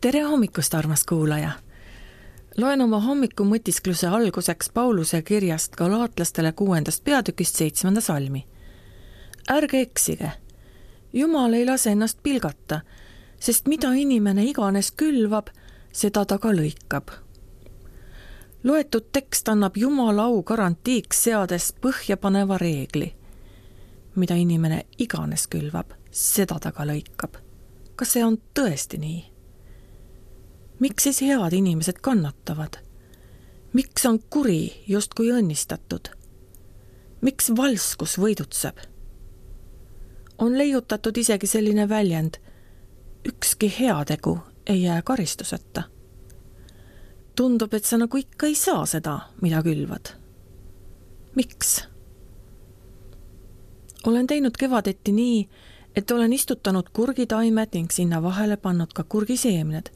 Tere hommikust, armas kuulaja! Loen oma hommiku mõtiskluse alguseks Pauluse kirjast Galaatlastele 6. peatükist 7. salmi. Ärge eksige, Jumal ei lase ennast pilgata, sest mida inimene iganes külvab, seda ta ka lõikab. Loetud tekst annab Jumala au garantiiks seades põhjapaneva reegli. Mida inimene iganes külvab, seda ta ka lõikab. Kas see on tõesti nii? Miks siis head inimesed kannatavad? Miks on kuri justkui õnnistatud? Miks valskus võidutseb? On leiutatud isegi selline väljend, ükski heategu ei jää karistuseta. Tundub, et sa nagu ikka ei saa seda, mida külvad. Miks? Olen teinud kevadeti nii, et olen istutanud kurgitaimed ning sinna vahele pannud ka kurgiseemned,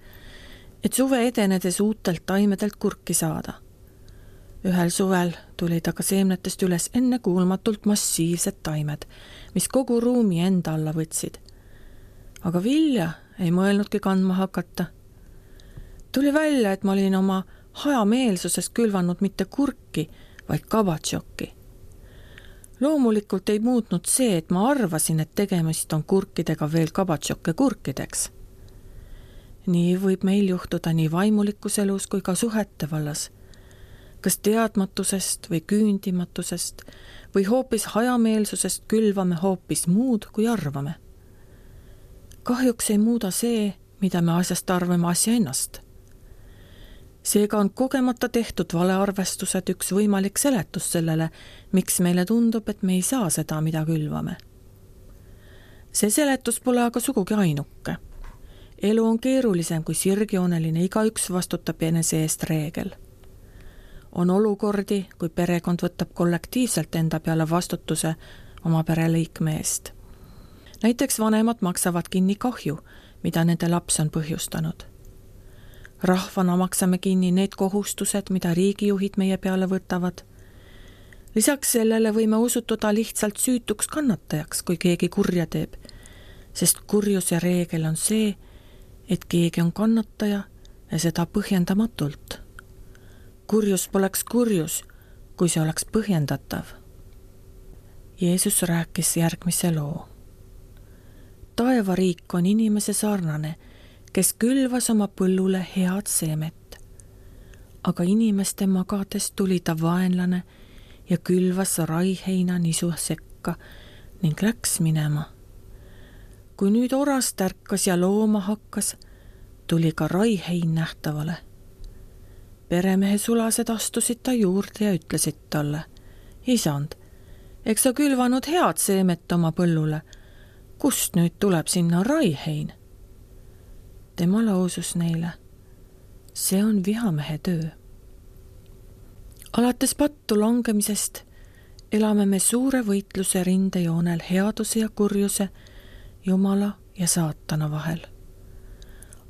et suve edenedes uutelt taimedelt kurki saada. Ühel suvel tulid aga seemnetest üles ennekuulmatult massiivsed taimed, mis kogu ruumi enda alla võtsid. Aga vilja ei mõelnudki kandma hakata. Tuli välja, et ma olin oma hajameelsuses külvanud mitte kurki, vaid kabatšokki. Loomulikult ei muutnud see, et ma arvasin, et tegemist on kurkidega veel kabatšokke kurkideks. Nii võib meil juhtuda nii vaimulikus elus kui ka suhete vallas. Kas teadmatusest või küündimatusest või hoopis hajameelsusest külvame hoopis muud, kui arvame. Kahjuks ei muuda see, mida me asjast arvame asja ennast. Seega on kogemata tehtud valearvestused üks võimalik seletus sellele, miks meile tundub, et me ei saa seda, mida külvame. See seletus pole aga sugugi ainuke. Elu on keerulisem kui sirgjooneline, igaüks vastutab enese eest reegel. On olukordi, kui perekond võtab kollektiivselt enda peale vastutuse oma pereliikme eest. Näiteks vanemad maksavad kinni kahju, mida nende laps on põhjustanud. Rahvana maksame kinni need kohustused, mida riigijuhid meie peale võtavad. Lisaks sellele võime osutuda lihtsalt süütuks kannatajaks, kui keegi kurja teeb, sest kurjuse reegel on see, et keegi on kannataja ja seda põhjendamatult. Kurjus poleks kurjus, kui see oleks põhjendatav. Jeesus rääkis järgmise loo. Taevariik on inimese sarnane, kes külvas oma põllule head seemet. Aga inimeste magades tuli ta vaenlane ja külvas raiheina nisu sekka ning läks minema. Kui nüüd oras tärkas ja looma hakkas, tuli ka raihein nähtavale. Peremehe sulased astusid ta juurde ja ütlesid talle, Isand, eks sa külvanud head seemet oma põllule, kust nüüd tuleb sinna raihein? Tema lausus neile, see on vihamehe töö. Alates pattu langemisest elame me suure võitluse rindejoonel headuse ja kurjuse, Jumala ja saatana vahel.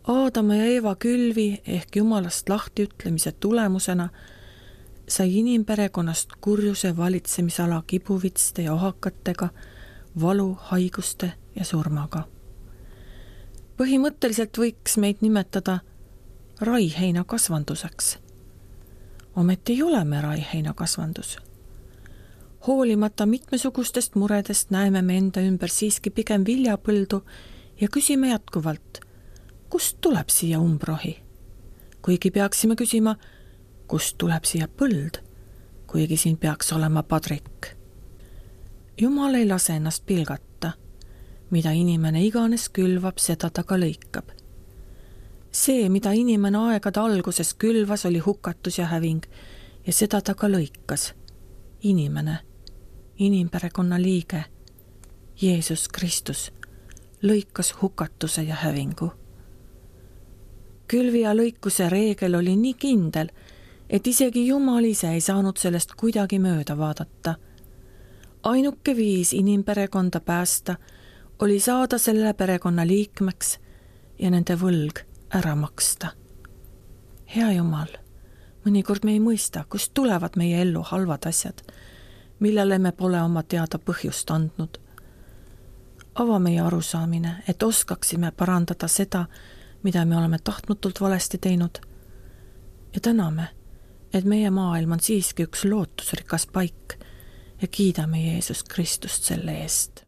Aadama ja Eeva külvi ehk Jumalast lahtiütlemise tulemusena sai inimperekonnast kurjuse valitsemisala kibuvitste ja ohakatega, valu, haiguste ja surmaga. Põhimõtteliselt võiks meid nimetada raiheina kasvanduseks. Ometi ei ole me raiheina kasvandus. Hoolimata mitmesugustest muredest näeme me enda ümber siiski pigem viljapõldu ja küsime jätkuvalt, kust tuleb siia umbrohi? Kuigi peaksime küsima, kust tuleb siia põld, kuigi siin peaks olema padrik. Jumal ei lase ennast pilgata. Mida inimene iganes külvab, seda ta ka lõikab. See, mida inimene aegade alguses külvas, oli hukatus ja häving ja seda ta ka lõikas. Inimene, inimperekonna liige, Jeesus Kristus, lõikas hukatuse ja hävingu. Külvi ja lõikuse reegel oli nii kindel, et isegi Jumal ise ei saanud sellest kuidagi mööda vaadata. Ainuke viis inimperekonda päästa oli saada selle perekonna liikmeks ja nende võlg ära maksta. Hea Jumal, mõnikord me ei mõista, kust tulevad meie ellu halvad asjad, millele me pole oma teada põhjust andnud. Ava meie arusaamine, et oskaksime parandada seda, mida me oleme tahtmatult valesti teinud ja täname, et meie maailm on siiski üks lootusrikas paik ja kiidame Jeesus Kristust selle eest.